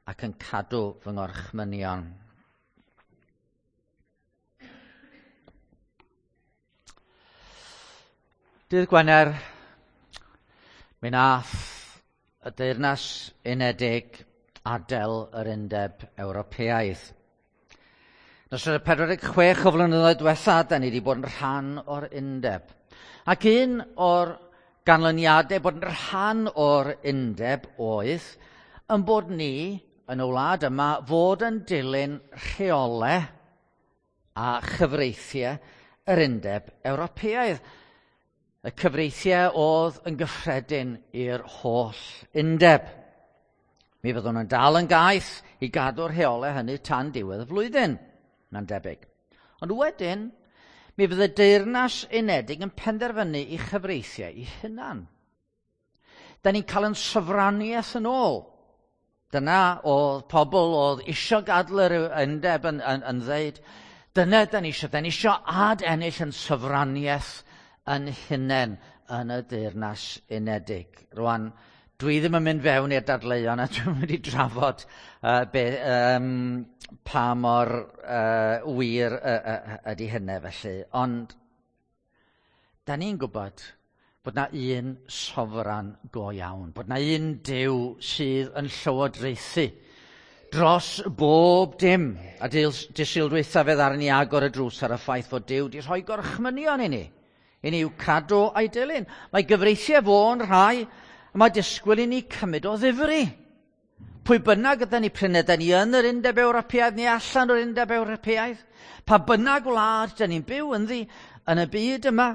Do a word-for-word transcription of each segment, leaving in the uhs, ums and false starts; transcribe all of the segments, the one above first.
ac yn cadw fy ngorchmynion. Dydd Gwener, mi nath y Deyrnas Unedig adael yr Undeb Ewropeaidd. Nos y pedwar deg chwech o flynyddoedd diwetha, da ni wedi bod yn rhan o'r undeb. Ac un o'r ganlyniadau bod yn rhan o'r undeb oedd yn bod ni yn y wlad yma fod yn dilyn rheolau a chyfreithiau yr Undeb Ewropeaidd. Y cyfreithiau oedd yn gyffredin i'r holl undeb. Mi fyddwn yn dal yn gaeth i gadw'r rheolau hynny tan diwedd y flwyddyn, mae'n debyg. Ond wedyn, mi fydd y Deyrnas Unedig yn penderfynu i chyfreithiau i hunan. Da ni'n cael yn sofraniaeth yn ôl. Dyna oedd pobl oedd isio gadael yr undeb yn, yn, yn ddeud, dyna da ni isio, da ni isio ad ennill yn sofraniaeth yn hunain yn y Deyrnas Unedig. Rwan, dwi ddim yn mynd fewn i'r dadleuon a dwi'n mynd i drafod uh, be, um, pa mor uh, wir uh, uh, ydy hynny felly. Ond, da ni'n gwybod bod na un sofran go iawn, bod na un Duw sydd yn llywodraethu dros bob dim. A dydd Sul dwytha fe ddaru ni agor y drws ar y ffaith fod Duw wedi rhoi gorchmynion i ni, i ni i'w cadw a'i dilyn. Mae gyfreithiau fo'n rhai, a mae disgwyl i ni cymryd o ddifri. Pwy bynnag ydyn ni prin ydyn ni yn yr Undeb Ewropeaidd neu allan o'r Undeb Ewropeaidd, pa bynnag wlad dyn ni'n byw ynddi yn y byd yma,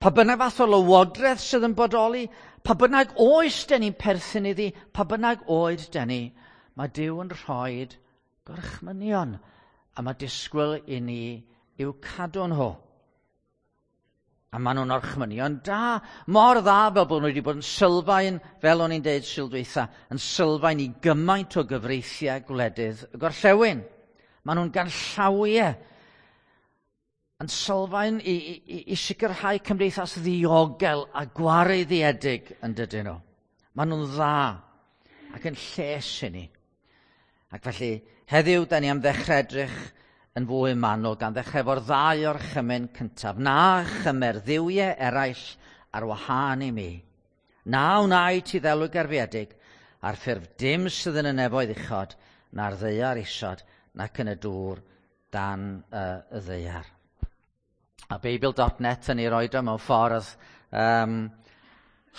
pa bynnag fath o lywodraeth sydd yn bodoli, pa bynnag oes dyn ni'n perthyn iddi, pa bynnag oed dyn ni, mae Duw yn rhoi gorchmynion, a mae disgwyl i ni i'w cadw nhw. A maen nhw'n orchmynion da, mor dda fel bod nhw wedi bod yn sylfaen, fel o'n i'n deud Sul dwytha, yn sylfaen i gymaint o gyfreithiau gwledydd y gorllewin. Maen nhw'n ganllawiau, yn sylfaen i, i, i sicrhau cymdeithas ddiogel a gwareiddiedig yn dydyn nhw. Maen nhw'n dda ac yn lles i ni. Ac felly, heddiw, da ni am ddechrau edrych yn fwy manwl gan ddechrau efo'r ddau orchymyn cyntaf. Na chymer dduwiau eraill ar wahân i mi. Na wnai ti ddelw gerfiedig ar ffurf dim sydd yn y nefoedd uchod, na'r ddaear isod, nac yn y dŵr dan uh, y ddaear. A Beibl dot net yn ei roed o mewn ffordd um,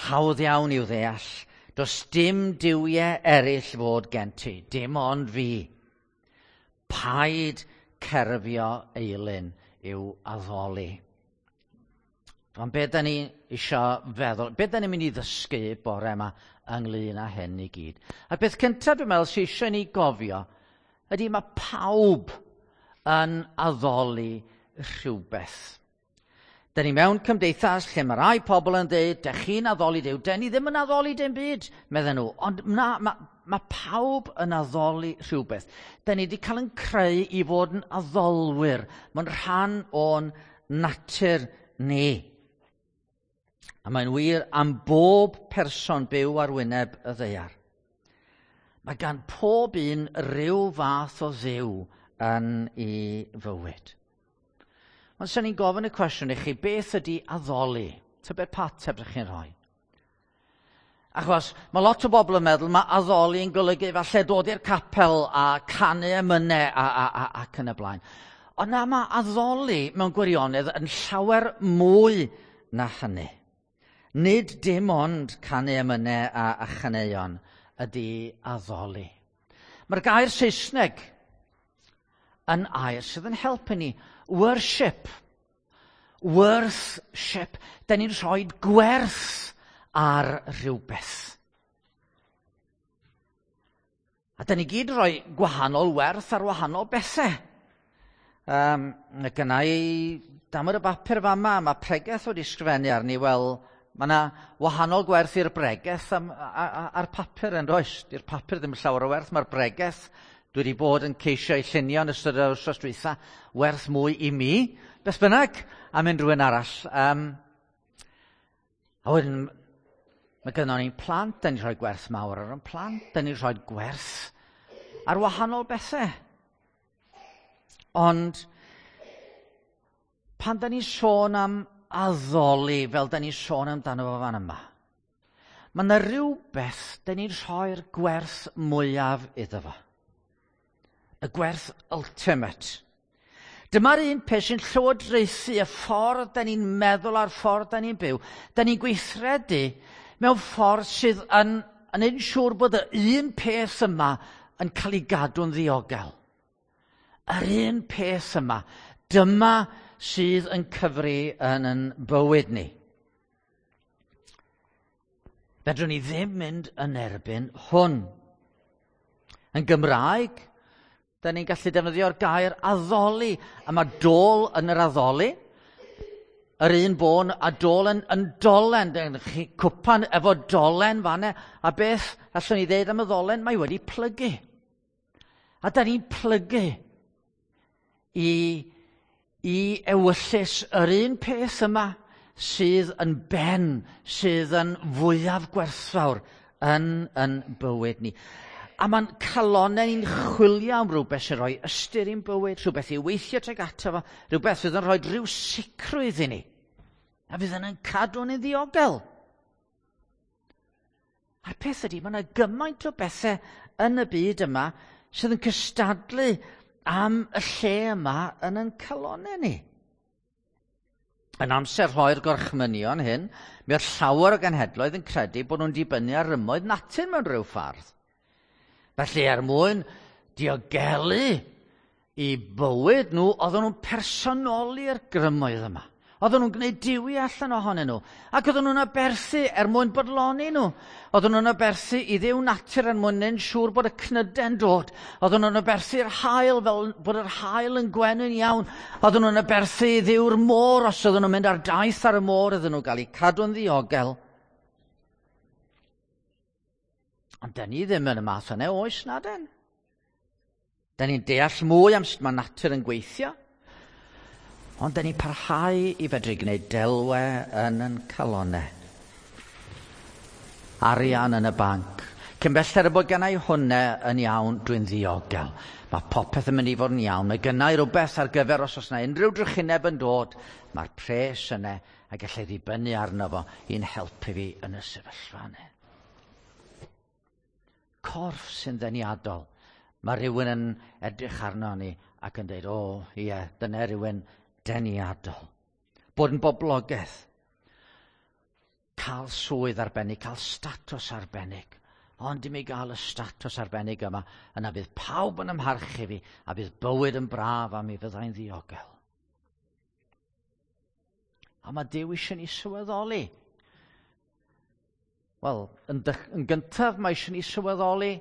hawdd iawn i'w ddeall. Does dim duwiau eraill fod gen ti, dim ond fi. Paid cerfio eilun i'w addoli. Ond be da ni isio feddwl, be da ni'n mynd i ddysgu bore yma ynglyn â hyn i gyd? A beth cyntaf dwi'n meddwl sydd eisiau ni gofio ydy mae pawb yn addoli rhywbeth. Da ni mewn cymdeithas lle mae rai pobl yn dweud, dych chi'n addoli Duw, da ni ddim yn addoli dim byd, medden nhw. Ond na, mae ma pawb yn addoli rhywbeth. Da ni wedi cael yn creu i fod yn addolwyr. Mae'n rhan o'n natur ni. A mae'n wir am bob person byw ar wyneb y ddaear. Mae gan pob un ryw fath o dduw yn ei fywyd. Ond sy'n ni'n gofyn y cwestiwn i chi, beth ydy addoli? Tybed pa ateb ydych chi'n rhoi? Achos mae lot o bobl yn meddwl mae addoli yn golygu falle dod i'r capel a canu emynau a, a, a, ac yn y blaen. Ond na, mae addoli mewn gwirionedd yn llawer mwy na hynny. Nid dim ond canu emynau a, a chaneuon ydy addoli. Mae'r gair Saesneg yn air sydd yn helpu ni. Worship. Worthship. Da ni'n rhoi gwerth ar rhywbeth. A da ni gyd yn rhoi gwahanol werth ar wahanol bethau. Um, gynna i damod y bapur fama, mae pregeth wedi sgrifennu arni, wel, mae yna wahanol gwerth i'r bregeth am, a'r papur yn does. Di'r papur ddim llawer o werth, mae'r bregeth dwi wedi bod yn ceisio ei llunio yn ystod yr wythnos dwytha, werth mwy i mi, beth bynnag, am unrhyw un arall. Um, a wedyn, mae gynnon ni'n plant, da ni'n rhoi gwerth mawr ar ein plant, da ni'n rhoi gwerth ar wahanol bethau. Ond pan da ni'n sôn am addoli fel da ni'n sôn amdano fo fan yma, mae yna rhywbeth da ni'n rhoi'r gwerth mwyaf iddo fo. Y gwerth ultimate. Dyma'r un peth sy'n llywodraethu y ffordd da ni'n meddwl a'r ffordd da ni'n byw. Da ni'n gweithredu mewn ffordd sydd yn, yn ein siŵr bod y un peth yma yn cael ei gadw'n ddiogel. Yr un peth yma, dyma sydd yn cyfri yn yn bywyd ni. Fedrwn ni ddim mynd yn erbyn hwn. Yn Gymraeg, da ni'n gallu defnyddio'r gair addoli, a mae dôl yn yr addoli. Yr un bôn a dôl yn, yn dolen, chi cwpan efo dolen fanne, a beth allwn ni ddeud am y ddolen? Mae wedi plygu. A da ni'n plygu i, i ewyllys yr un peth yma sydd yn ben, sydd yn fwyaf gwerthfawr yn, yn bywyd ni. A mae'n calonnau ni'n chwilio am rhywbeth sy'n rhoi ystyr i'n bywyd, rhywbeth i weithio tuag ato fo, rhywbeth sydd yn rhoi rhyw sicrwydd i ni, a fydd yn cadw ni'n ddiogel. A'r peth ydy, mae yna gymaint o bethau yn y byd yma sydd yn cystadlu am y lle yma yn ein calonnau ni. Yn amser rhoi'r gorchmynion hyn, mi oedd llawer o genhedloedd yn credu bod nhw'n dibynnu ar rymoedd natur mewn rhyw ffordd. Felly er mwyn diogelu i bywyd nhw, oedden nhw'n personoli'r grymoedd yma. Oedden nhw'n gwneud diwi allan ohonyn nhw. Ac oedden nhw'n aberthu er mwyn bodloni nhw. Oedden nhw'n aberthu i ddiw natur er mwyn neud siŵr bod y cnydau'n dod. Oedden nhw'n aberthu'r haul fel bod yr haul yn gwenu'n iawn. Oedden nhw'n aberthu i ddiw'r môr os oedden nhw'n mynd ar daith ar y môr iddyn nhw gael eu cadw'n ddiogel. Ond da ni ddim yn y math yna oes na den. Da ni'n deall mwy am sut mae natur yn gweithio. Ond da ni'n parhau i fedru gwneud delwe yn yn calonnau. Arian yn y banc. Cyn belled y bod gennau hwnna yn iawn, dwi'n ddiogel. Mae popeth yn mynd i fod yn iawn. Mae gennau rhywbeth ar gyfer os oes yna unrhyw drychineb yn dod. Mae'r pres yna a gallai ddibynnu arno fo i'n helpu fi yn y sefyllfa yna. Corff sy'n ddeniadol. Mae rhywun yn edrych arno ni ac yn dweud, o, ie, dyna rhywun deniadol. Bod yn boblogaidd. Cael swydd arbennig, cael statws arbennig. Ond i mi gael y statws arbennig yma, yna bydd pawb yn ymharchu fi, a bydd bywyd yn braf a mi fyddai'n ddiogel. A mae Duw eisiau ni sylweddoli. Wel, yn, yn gyntaf mae eisiau ni sylweddoli,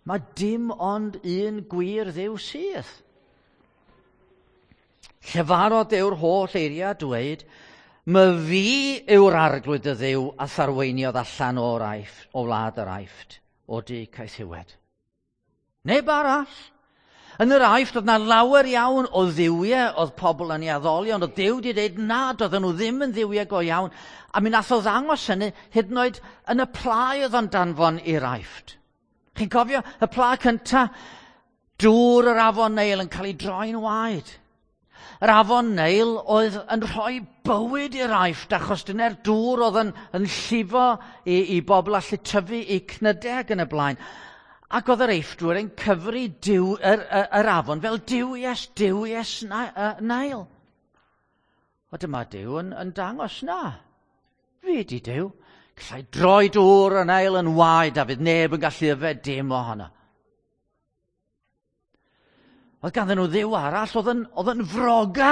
mae dim ond un gwir Dduw sydd. Llefarodd Duw'r holl eiriau dweud, my fi yw'r arglwydd y Dduw a tharweiniodd allan o'r Aifft, o wlad yr Aifft, o du caethiwed. Neb arall. Yn yr Aifft oedd na lawer iawn o dduwiau oedd pobl yn ei addoli, ond oedd Duw wedi dweud nad oedden nhw ddim yn dduwiau go iawn, a mi nath o ddangos hynny hyd yn oed yn y pla oedd o'n danfon i'r Aifft. Chi'n cofio y pla cynta? Dŵr yr afon Neil yn cael ei droi'n waed. Yr afon Neil oedd yn rhoi bywyd i'r Aifft achos dyna'r dŵr oedd yn, yn llifo i, i bobl allu tyfu i cnydau ac yn y blaen. Ac oedd yr Eiffdwyr yn cyfri diw, yr, yr, yr afon fel duwies, duwies Neil. O dyma Duw yn, yn dangos na. Fi di Duw. Gallai droi dŵr y Neil yn waed a fydd neb yn gallu yfed dim ohono. Oedd ganddyn nhw dduw arall, oedd yn, oedd yn froga.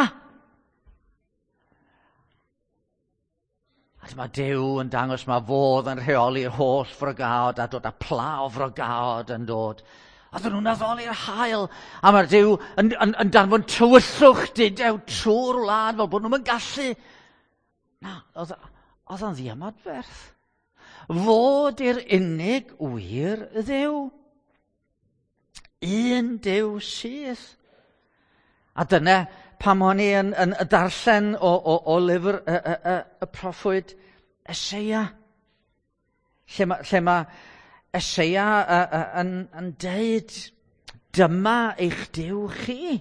A dyma Duw yn dangos mae fodd yn rheoli'r holl frogaod a dod â pla o frogaod yn dod. A dyn nhw'n addoli'r haul. A mae'r Duw yn, yn, yn danfon tywyllwch dudew trwy'r wlad fel bod nhw'n gallu. Na, oedd, oedd o'n ddiymadferth. Fod i'r unig wir Dduw. Un Duw sydd. A dyna pam o'n i yn, yn darllen o, o, o lyfr y, y, y, y proffwyd Eseia. Lle mae, lle mae Eseia uh, uh, yn, yn deud, dyma eich Duw chi.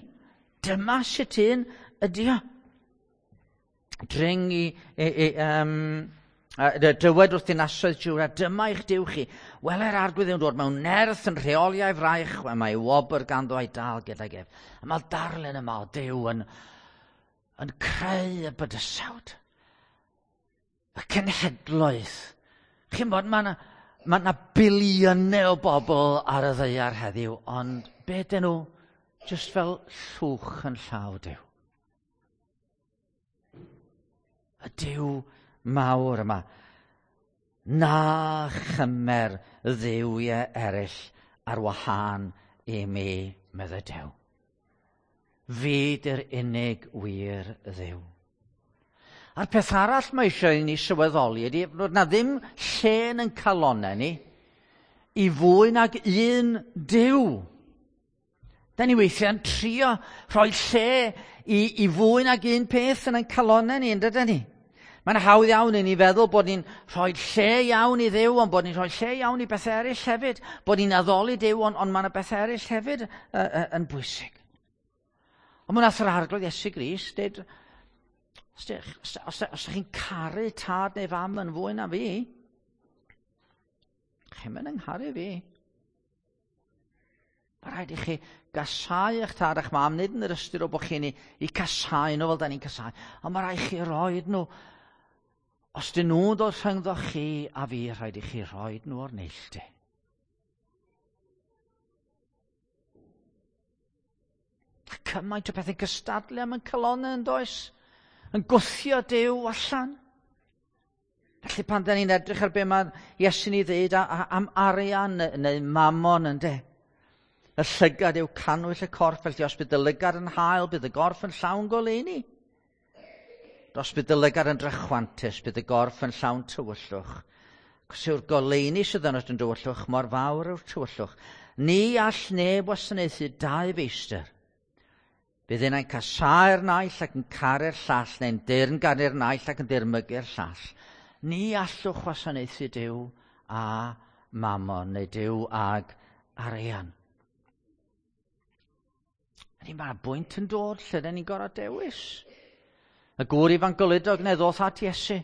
Dyma sut un ydy o. Dring i, i, i um, dywed wrth dinasoedd Jwda, dyma eich Duw chi. Wele'r Arglwydd yn dod mewn nerth yn rheoliau fraich, mae wobr ganddo a'i dal gydag ef. A mae'r darlun yma o Duw yn, yn creu y bydysawd. Y cenhedloedd. Chi'n bod, mae yna ma 'na biliynau o bobl ar y ddaear heddiw, ond be dyn nhw? Just fel llwch yn llaw Duw. Y Duw mawr yma. Na chymer dduwiau eraill ar wahân i mi, meddai Duw. Fi 'di'r unig wir Dduw. A'r peth arall mae eisiau i ni sylweddoli ydy bod na ddim lle yn calonau ni i fwy nag un Duw. Da ni weithiau'n trio rhoi lle i, i fwy nag un peth yn ein calonau ni, yn dydyn ni? Mae'n hawdd iawn i ni feddwl bod ni'n rhoi lle iawn i Dduw, ond bod ni'n rhoi lle iawn i bethau eraill hefyd. Bod ni'n addoli Duw, ond, ond mae yna bethau eraill hefyd uh, uh, yn bwysig. Ond mae'n nath yr Arglwydd Iesu Grist dweud, os, os, os, os ydych chi'n caru tad neu fam yn fwy na fi, chi'n mynd yng ngharu fi. Mae rhaid i chi gasau eich tad a'ch mam, nid yn yr ystyr o bod chi'n ei casau nhw fel da ni'n casau, ond mae rhaid i chi roed nhw. Os dyn nhw'n dod rhyngddo chi a fi, rhaid i chi roed nhw o'r neilltu. Cymaint o bethau'n cystadlu am yn calonnau yn does? Yn gwthio Duw allan. Felly pan da ni'n edrych ar be mae Iesu'n ei ddeud am arian neu mamon yn de. Y llygad yw cannwyll y corff, felly os bydd y lygad yn hael, bydd y gorff yn llawn goleuni. Os bydd y lygad yn drachwantus, bydd y gorff yn llawn tywyllwch. Cos yw'r goleuni sydd yn yn dywyllwch, mor fawr yw'r tywyllwch. Ni all neb wasanaethu dau feistr. Bydd un yn casáu'r naill ac yn caru'r llall, neu'n deyrngaru'r naill ac yn dirmygu'r llall. Ni allwch wasanaethu Duw a mamon, neu Duw ag arian. Ydy, mae'r bwynt yn dod lle dyn ni'n gorfod dewis. Y gŵr ifanc goludog neu ddoth at Iesu.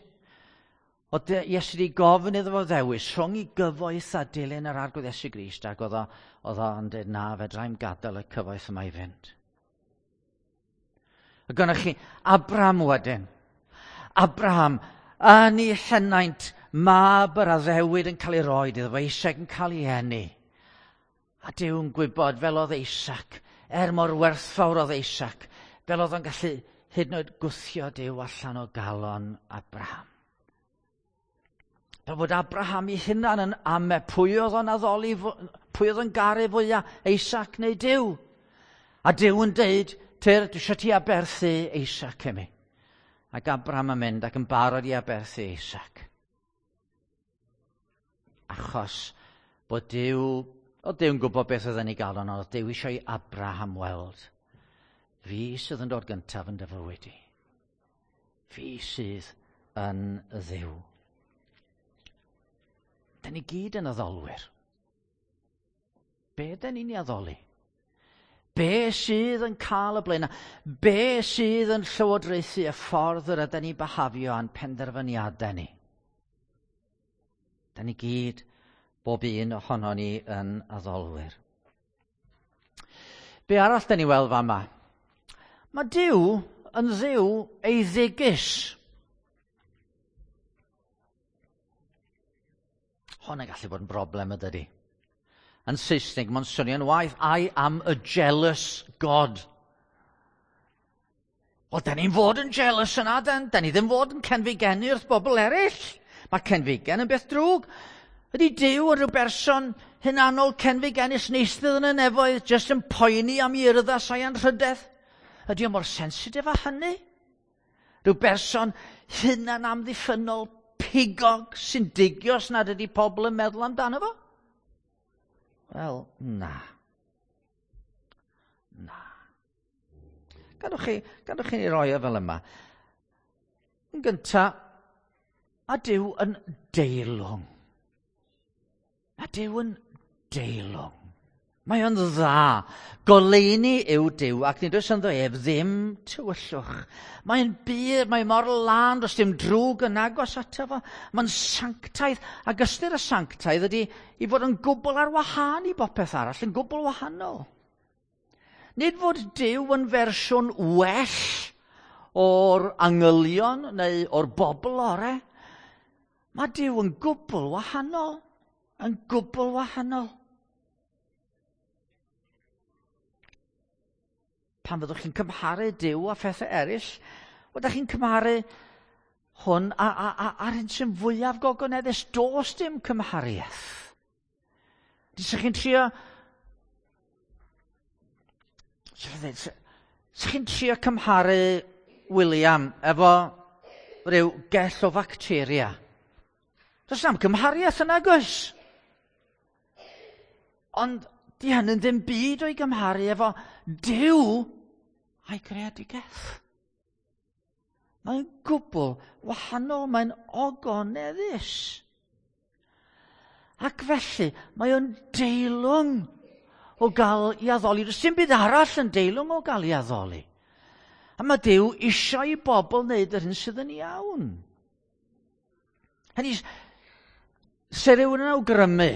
Oedd Iesu wedi gofyn iddo fo ddewis rhwng i gyfoeth a dilyn yr Arglwydd Iesu Grist, ac oedd o'n dweud, na, fedrai'm gadael y cyfoeth yma i fynd. A gynnoch chi Abraham wedyn. Abraham, yn ei henaint, mab yr addewid yn cael ei roed iddo fo, Isaac yn cael ei eni. A Duw yn gwybod fel oedd Isaac, er mor werthfawr oedd Isaac, fel oedd o'n gallu hyd yn oed gwthio Duw allan o galon Abraham. Fel bod Abraham ei hunan yn ame pwy oedd o'n addoli, pwy oedd o'n garu fwyaf, Isaac neu Duw. A Duw yn deud, Tyr, dwi eisiau ti aberthu Isaac i mi. Ac Abraham yn mynd ac yn barod i aberthu Isaac. Achos bod Duw, oedd Duw'n gwybod beth oedd yn ei galon, ond oedd Duw eisiau i Abraham weld. Fi sydd yn dod gyntaf yn dy fywyd i. Fi sydd yn Dduw. Da ni gyd yn addolwyr. Be da ni'n ei addoli? Be sydd yn cael y blaenau? Be sydd yn llywodraethu y ffordd yr ydyn ni'n behafio a'n penderfyniadau ni? Da ni gyd, bob un ohono ni yn addolwyr. Be arall da ni weld fama? Mae Duw yn Dduw eiddigus. Hwn yn gallu bod yn broblem ydydi. Yn Saesneg, mae'n swnio'n waith, I am a jealous God. Wel, da ni'n fod yn jealous yna, da, da ni ddim fod yn cenfigennu wrth bobl eraill. Mae cenfigen yn beth drwg. Ydy Duw yn rhyw berson hunanol cenfigennus neistedd yn y nefoedd, jyst yn poeni am ei urddas a'i anrhydedd? Ydy o mor sensitif â hynny? Rhyw berson hunan amddiffynnol pigog sy'n digio os nad ydy pobl yn meddwl amdano fo? Wel, na. Na. Gadwch chi, gadwch chi ni roi o fel yma. Yn gynta, a Duw yn deilwng. Mae Duw yn deilwng. Mae o'n dda. Goleuni yw Duw, ac nid oes ynddo ef ddim tywyllwch. Mae'n bur, mae mor lân, does dim drwg yn agos ato fo. Mae'n sanctaidd, ac ystyr y sanctaidd ydy i fod yn gwbl ar wahân i bopeth arall, yn gwbl wahanol. Nid fod Duw yn fersiwn well o'r angylion neu o'r bobl ore. Mae Duw yn gwbl wahanol, yn gwbl wahanol. Pan fyddwch chi'n cymharu Duw a phethau eraill, ydych chi'n cymharu hwn a, a, a, a'r hyn sy'n fwyaf gogoneddus, does dim cymhariaeth. Dych chi'n trio... Sa'ch chi'n trio cymharu William efo rhyw gell o facteria? Does na'm cymhariaeth yna, gwrs. Ond di hynny'n ddim byd o'i gymharu efo Duw a'i greadigaeth. Mae'n gwbl wahanol, mae'n ogoneddus. Ac felly, mae o'n deilwng o gael ei addoli. Does dim byd arall yn deilwng o gael ei addoli. A mae Duw eisiau i bobl wneud yr hyn sydd yn iawn. Hynny, se rhywun yn awgrymu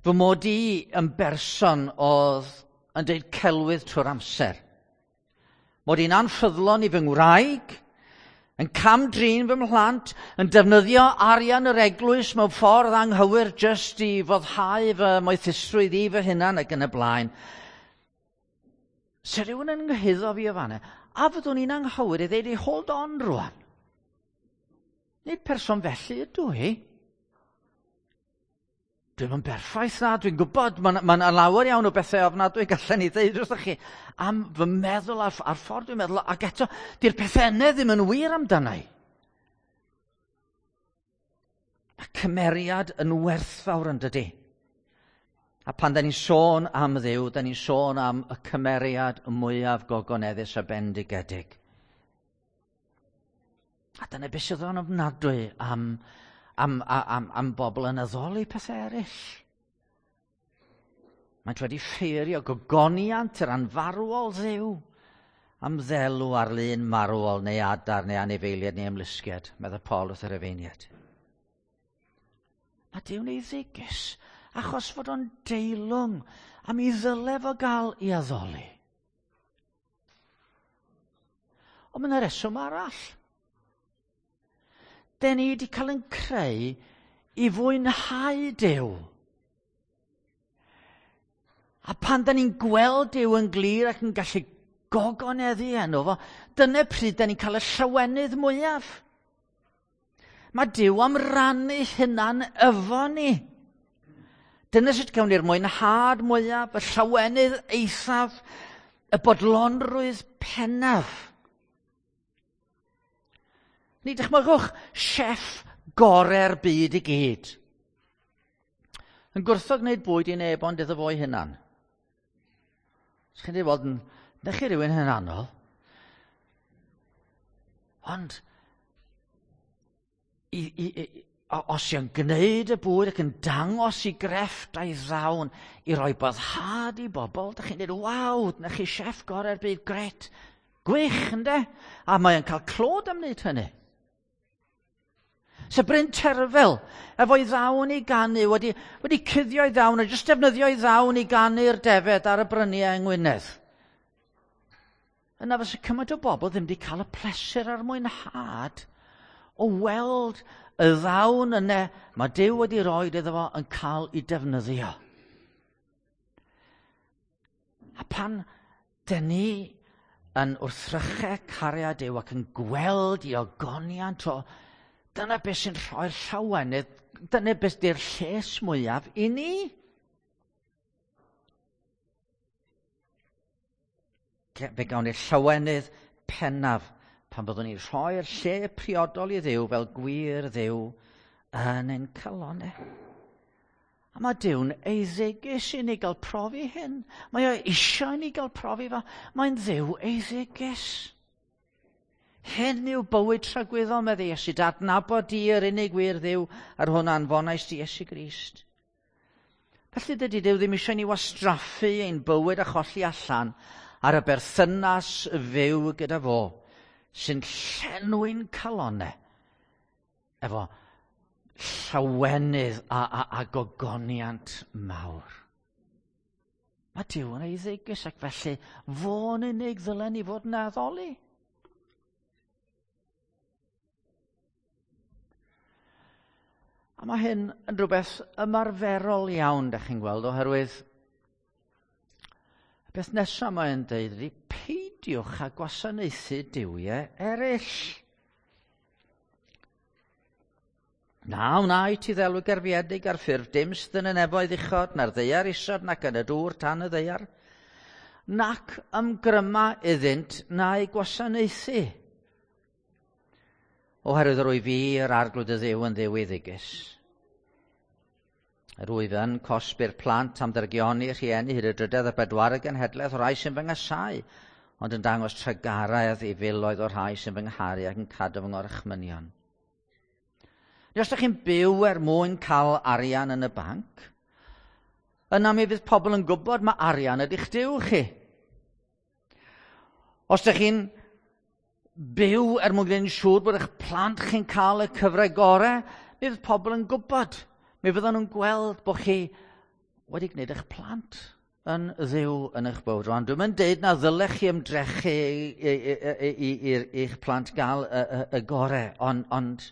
fy mod i yn berson oedd yn dweud celwydd trwy'r amser. Mod i'n anffyddlon i fy ngwraig, yn cam-drin fy mhlant, yn defnyddio arian yr eglwys mewn ffordd anghywir jyst i foddhau fy moethusrwydd i fy hunan ac yn y blaen. Se rhywun yn nghyhuddo fi o fanna, a fyddwn i'n anghywir i ddeud i hold on rwan. Nid person felly ydw i. Dwi'm yn berffaith na, dwi'n gwybod, mae'n ma lawer iawn o bethau ofnadwy gallen ni ddeud wrthych chi am fy meddwl a'r, a'r ffordd dwi'n meddwl, ac eto, di'r pethau yna ddim yn wir amdana i. Mae cymeriad yn werthfawr yn dydi. A pan da ni'n sôn am Dduw, da ni'n sôn am y cymeriad mwyaf gogoneddus a bendigedig. A dyna beth sydd o'n ofnadwy am Am, am, am bobl yn addoli pethau eraill. Mae'n wedi ffeirio gogoniant yr anfarwol Dduw am ddelw ar lun marwol neu adar neu anifeiliaid neu ymlusgiad, meddai Paul wrth yr Efeiniad. Mae Duw'n eiddigus achos fod o'n deilwng a mi ddyle fo gael ei addoli. Ond mae yna reswm arall. Den ni wedi cael yn creu i fwynhau Duw. A pan da ni'n gweld Duw yn glir ac yn gallu gogoneddu enw fo, dyna pryd da ni'n cael y llawenydd mwyaf. Mae Duw am rannu hunan efo ni. Dyna sut gawn ni'r mwynhad mwyaf, y llawenydd eithaf, y bodlonrwydd pennaf. Ni dychmygwch chef gorau'r byd i gyd. Yn gwrthod gwneud bwyd i neb ond iddo fo'i hunan. Os chi'n dweud, wel, na chi rhywun hunanol. Ond, i, i, i, os yw'n gwneud y bwyd ac yn dangos i grefft a'i ddawn i roi boddhad i bobl, da chi'n dweud, waw, na chi chef gorau'r byd, gret, gwych, ynde? A mae'n cael clod am wneud hynny. Se Bryn Terfel, efo'i ddawn i ganu, wedi, wedi cuddio'i ddawn, a jyst defnyddio'i ddawn i ganu'r defed ar y bryniau yng Ngwynedd. Yna fysa cymaint o bobl ddim wedi cael y pleser a'r mwynhad o weld y ddawn yna mae Duw wedi rhoi iddo fo yn cael ei defnyddio. A pan dyn ni yn wrthrychau cariad Duw ac yn gweld i ogoniant o, dyna beth sy'n rhoi'r llawenydd, dyna beth di'r lles mwyaf i ni. Fe gawn ni'r llawenydd pennaf pan byddwn ni'n rhoi'r lle priodol i Dduw fel gwir Dduw yn ein calonnau. A mae Duw'n eiddigus i ni gael profi hyn. Mae o eisiau i ni gael profi fo. Mae'n Dduw eiddigus. Hyn yw bywyd tragwyddol, medde Iesu, adnabod di yr unig wir Dduw a'r hwn anfonais di Iesu Grist. Felly dydy Duw ddim eisiau ni wastraffu ein bywyd a cholli allan ar y berthynas fyw gyda fo, sy'n llenwi'n calonau efo llawenydd a, a, a gogoniant mawr. Mae Duw yn eiddigus ac felly fo'n unig ddylen ni fod yn addoli. A mae hyn yn rhywbeth ymarferol iawn, da chi'n gweld, oherwydd y beth nesaf mae'n deud ydy peidiwch â gwasanaethu duwiau eraill. Na wna i ti ddelw gerfiedig ar ffurf dim sydd yn y nefoedd uchod, na'r ddaear isod, nac yn y dŵr tan y ddaear, nac ymgryma iddynt na'i gwasanaethu. Oherwydd yr wyf fi yr arglwydd y Dduw yn Dduw eiddigus. Yr wyf yn cosbi'r plant am ddrygioni rhieni hyd y drydedd a bedwaredd genhedlaeth o'r rhai sy'n fy nghasáu, ond yn dangos trugaredd i filoedd o'r rhai sy'n fy ngharu ac yn cadw fy ngorchmynion. Neu os ydych chi'n byw er mwyn cael arian yn y banc, yna mi fydd pobl yn gwybod mae arian ydy'ch Duw chi. Os ydych chi'n byw er mwyn gwneud yn siŵr bod eich plant chi'n cael y cyfle gorau, mi fydd pobl yn gwybod. Mi fyddan nhw'n gweld bod chi wedi gwneud eich plant yn dduw yn eich bywyd. Rwan, dwi'n mynd deud na ddylech chi ymdrechu i'ch plant gael y, y, y gorau, ond, ond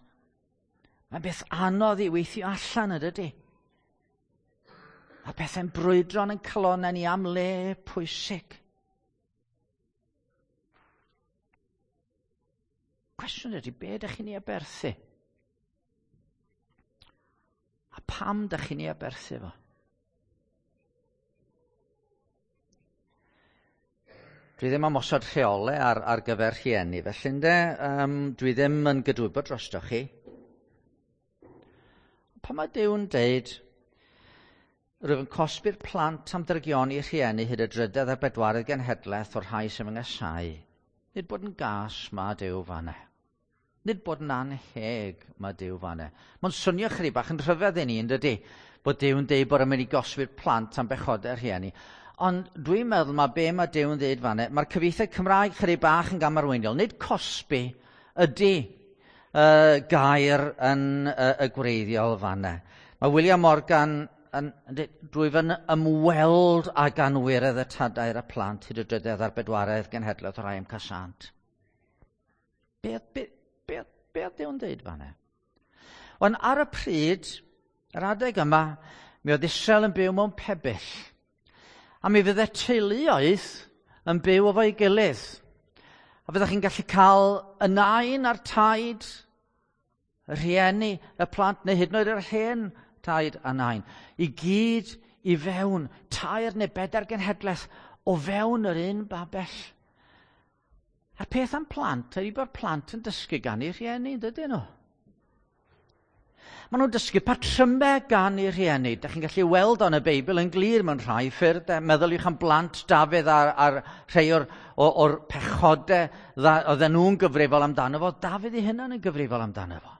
mae'n beth anodd i weithio allan, ydy? Mae pethau'n brwydro yn calonnau ni am le pwysig. Cwestiwn ydy, be ydych chi'n ei aberthu? A pam ydych chi'n ei aberthu fo? Dwi ddim am osod rheolau ar, ar gyfer rhieni, felly ynde, um, dwi ddim yn gydwybod drostoch chi. Pan mae Duw'n deud, rwyf yn cosbi'r plant am drygioni rhieni hyd y drydedd a'r bedwaredd genhedlaeth o'r rhai sy'n fy nghasáu. Nid bod yn gas mae Duw fan'na. Nid bod yn anheg mae Duw fan'na. Mae'n swnio chydig bach yn rhyfedd i ni, yn dydy, bod Duw'n deud bod yn mynd i gosbi'r plant am bechodau rhieni. Ond dwi'n meddwl mae be mae Duw'n deud fan'na, mae'r cyfieithiad Cymraeg chydig bach yn gamarweiniol. Nid cosbi ydy uh, gair yn uh, y gwreiddiol fan'na. Mae William Morgan yn, drwy fy ymweld ag anwiredd y tadau a'r plant hyd y drydedd a'r bedwaredd genhedlaeth o'r rhai am casant. Be, be, be, be oedd Duw'n deud fan'na? Ond ar y pryd, yr adeg yma, mi oedd Israel yn byw mewn pebyll. A mi fydde teuluoedd yn byw efo'i gilydd. A fyddech chi'n gallu cael y nain a'r taid, y rhieni, y plant, neu hyd yn oed yr hen taid a nain, i gyd i fewn, tair neu bedair genhedlaeth o fewn yr un babell. A'r peth am plant ydy bod plant yn dysgu gan eu rhieni, dydyn nhw? Maen nhw'n dysgu patrymau gan eu rhieni. Dach chi'n gallu weld o'n y Beibl yn glir mewn rhai ffyrdd. Meddyliwch am blant Dafydd a'r, a'r rhai o'r, or, or pechodau oedden nhw'n gyfrifol amdano fo. Dafydd ei hunan yn gyfrifol amdano fo.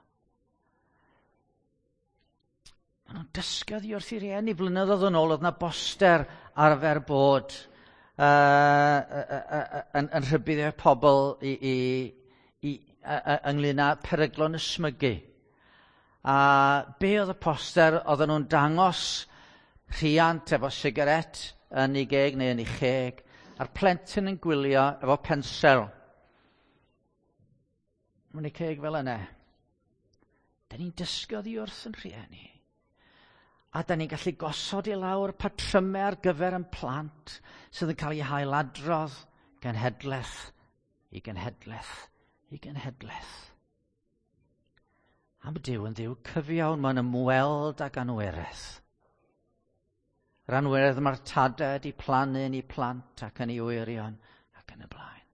Maen nhw'n dysgu oddi wrth eu rhieni. Blynyddoedd yn ôl oedd yna boster arfer bod uh, uh, uh, uh, yn, yn rhybuddio pobl i, i, i, uh, uh, ynglyn â peryglon ysmygu. A be oedd y poster? Oedden nhw'n dangos rhiant efo sigaret yn ei geg neu yn ei cheg, a'r plentyn yn gwylio efo pensel. Mae'n ei ceg fel yna. Da ni'n dysgu oddi wrth yn rhieni. A da ni'n gallu gosod i lawr patrymau ar gyfer yn plant sydd yn cael eu hailadrodd genhedlaeth i genhedlaeth i genhedlaeth. A mae Duw yn Dduw cyfiawn, mae'n ymweld ag anwereth. Yr anweredd mae'r tadau wedi plannu yn eu plant ac yn eu wyrion ac yn y blaen.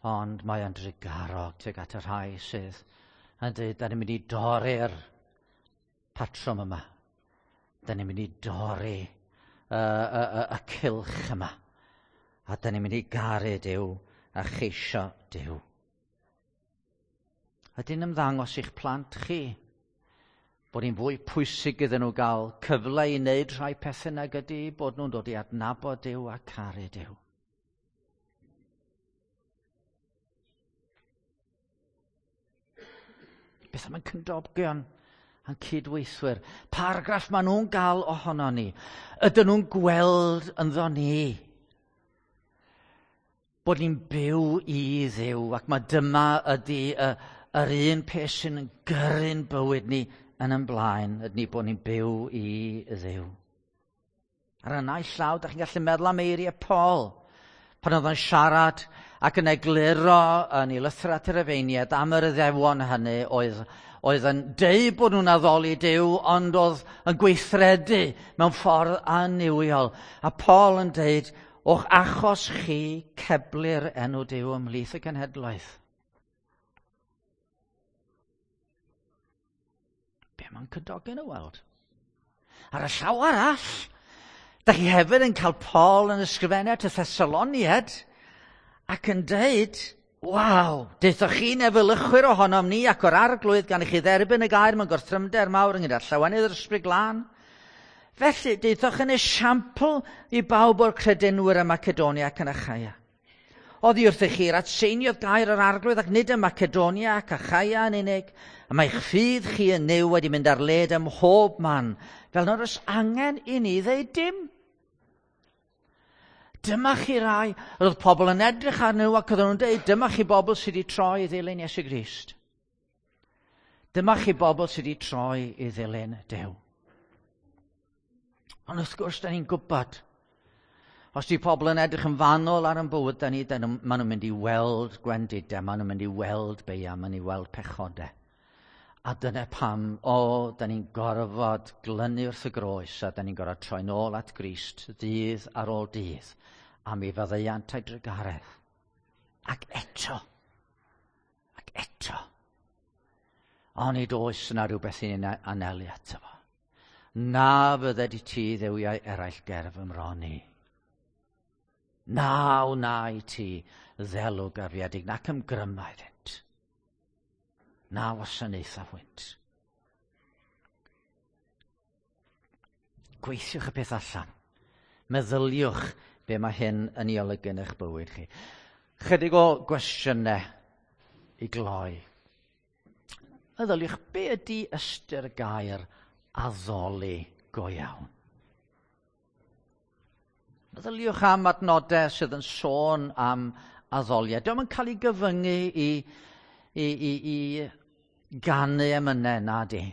Ond mae o'n drugarog tuag at y rhai sydd yn dweud, da ni'n mynd i dorri'r patrwm yma. Da ni'n mynd i dorri y, y, y, y cylch yma. A da ni'n mynd i garu Duw a cheisio Duw. Ydy'n ymddangos i'ch plant chi bod hi'n fwy pwysig iddyn nhw gael cyfle i wneud rhai pethau nag ydy bod nhw'n dod i adnabod Duw a caru Duw? Beth am ein cymdogion a'n cydweithwyr? Pa argraff maen nhw'n gael ohono ni? Ydyn nhw'n gweld ynddo ni bod ni'n byw i Dduw, ac mae dyma ydy y, yr un peth sy'n gyrru'n bywyd ni yn yn blaen, ydyn ni bod ni'n byw i Dduw. Ar y naill llaw, da chi'n gallu meddwl am eiriau Paul, pan oedd o'n siarad ac yn egluro yn ei lythyr at yr Rufeiniaid am yr Iddewon hynny oedd, oedd yn deud bod nhw'n addoli Duw, ond oedd yn gweithredu mewn ffordd annuwiol. A Paul yn deud, o'ch achos chi ceblir enw Duw ymhlith y cenhedloedd. Be mae'n cymdogion y weld? Ar y llaw arall, da chi hefyd yn cael Paul yn ysgrifennu at y Thessaloniaid ac yn deud, waw, deuthoch chi'n efelychwyr ohonom ni ac o'r Arglwydd gan i chi dderbyn y gair mewn gorthrymder mawr ynghyd â llawenydd yr Ysbryd Glân. Felly, deuthoch yn esiampl i bawb o'r credinwyr ym Macedonia ac yn Achaia. Oddi wrthych chi'r atseiniodd gair yr Arglwydd ac nid ym Macedonia ac Achaia yn unig, a mae'ch ffydd chi yn Nuw wedi mynd ar led ym mhob man, fel nad oes angen i ni ddeud dim. Dyma chi rai, oedd pobl yn edrych arnyn nhw ac oedden nhw'n deud, dyma chi bobl sydd wedi troi i ddilyn Iesu Grist. Dyma chi bobl sydd wedi troi i ddilyn Duw. Ond wrth gwrs, da ni'n gwybod, os di pobl yn edrych yn fanwl ar ein bywyd, da ni, da nhw, maen nhw'n mynd i weld gwendidau, maen nhw'n mynd i weld beia, maen nhw'n mynd i weld pechodau. A dyna pam, o, da ni'n gorfod glynu wrth y groes, a da ni'n gorfod troi nôl at Grist ddydd ar ôl dydd, am ei faddeuant a'i drugaredd. Ac eto, ac eto, onid oes yna rhywbeth i ni'n anelu ato fo. Na fydded i ti dduwiau eraill ger fy mron i. Na wna i ti ddelw garfiedig, nac ymgryma iddynt. Na wasanaetha hwynt. Gweithiwch y peth allan. Meddyliwch be mae hyn yn ei olygu yn eich bywyd chi. Chydig o gwestiynau i gloi. Meddyliwch, be ydy ystyr gair addoli go iawn? Meddyliwch am adnodau sydd yn sôn am addoliad. Dio'm yn cael ei gyfyngu i, i, i, i ganu emynau, na di.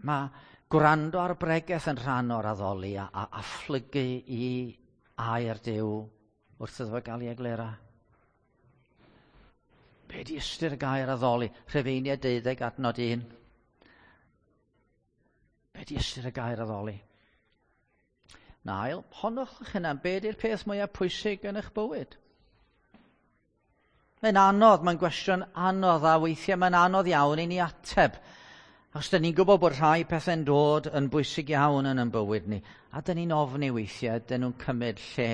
Mae gwrando ar bregeth yn rhan o'r addoli a, a, a phlygu i air Duw wrth iddo fo gael ei egluro. Be di ystyr y gair addoli? Rhufeiniaid deuddeg adnod un. Be di ystyr y gair addoli? Na ail, honwch eich hunan, be di'r peth mwyaf pwysig yn eich bywyd? Mae'n anodd, mae'n gwestiwn anodd, a weithiau mae'n anodd iawn i ni ateb. Achos dyn ni'n gwybod bod rhai pethau'n dod yn bwysig iawn yn ein bywyd ni, a dyn ni'n ofni weithiau, dyn nhw'n cymryd lle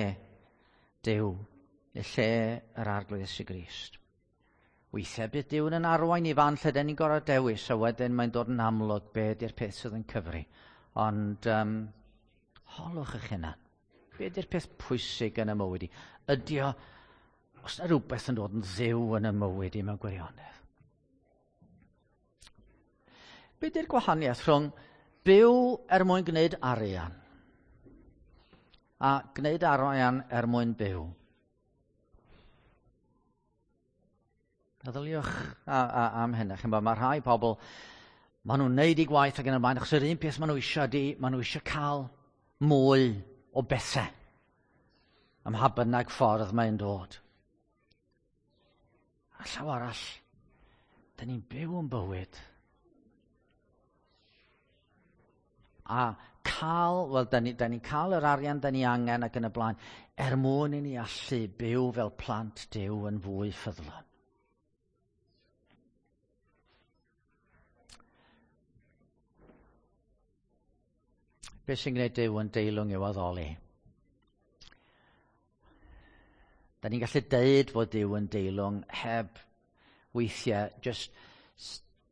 Duw, neu lle yr Arglwydd Iesu Grist. Weithiau bydd Duw yn arwain i fan lle dyn ni'n gorfod dewis, a wedyn mae'n dod yn amlwg be di'r peth sydd yn cyfri. Ond um, holwch eich hunan. Be di'r peth pwysig yn y mywyd i? Ydy o, os yna rhywbeth yn dod yn dduw yn y mywyd i mewn gwirionedd? Be di'r gwahaniaeth rhwng byw er mwyn gwneud arian a gwneud arian er mwyn byw? Meddyliwch a, a, am hynny. Chi'n bod, mae rhai pobl, maen nhw'n neud eu gwaith ac yn y blaen, achos yr un peth maen nhw eisiau ydi, maen nhw eisiau cael mwy o bethau. Ym mha bynnag ffordd mae'n dod. A llaw arall, dyn ni'n byw yn bywyd. A cael, wel, dyn ni'n ni cael yr arian dyn ni angen ac yn y blaen, er mwyn i ni allu byw fel plant Duw yn fwy ffyddlon. Be sy'n gwneud Duw yn deilwng i'w addoli? Da ni'n gallu deud fod Duw yn deilwng heb weithiau just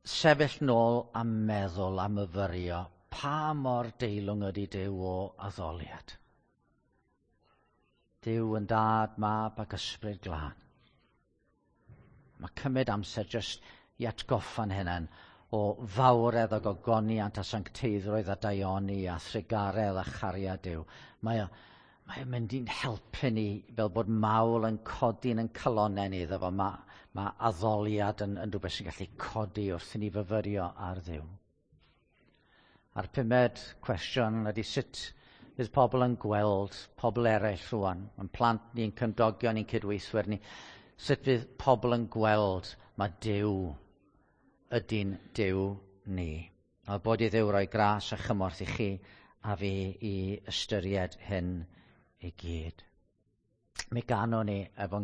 sefyll nôl a meddwl a myfyrio pa mor deilwng ydy Duw o addoliad. Duw yn dad, mab ac ysbryd glân. Mae cymryd amser jyst i atgoffa'n hunain o fawredd ac ogoniant a sancteiddrwydd a daioni a thrugaredd a chariad Duw. Mae o, mae o'n mynd i'n helpu ni fel bod mawl yn codi yn calonnau ni iddo fo. Mae, mae addoliad yn, yn rhywbeth sy'n gallu codi wrth i ni fyfyrio ar Dduw. A'r pumed cwestiwn ydy sut fydd pobl yn gweld pobl eraill rwan, yn plant ni'n cymdogion ni'n cydweithwyr ni, sut fydd pobl yn gweld mae Duw ydy'n Duw ni. A bod i Dduw roi gras a chymorth i chi a fi i ystyried hyn i gyd. Mi ganwn ni efo'n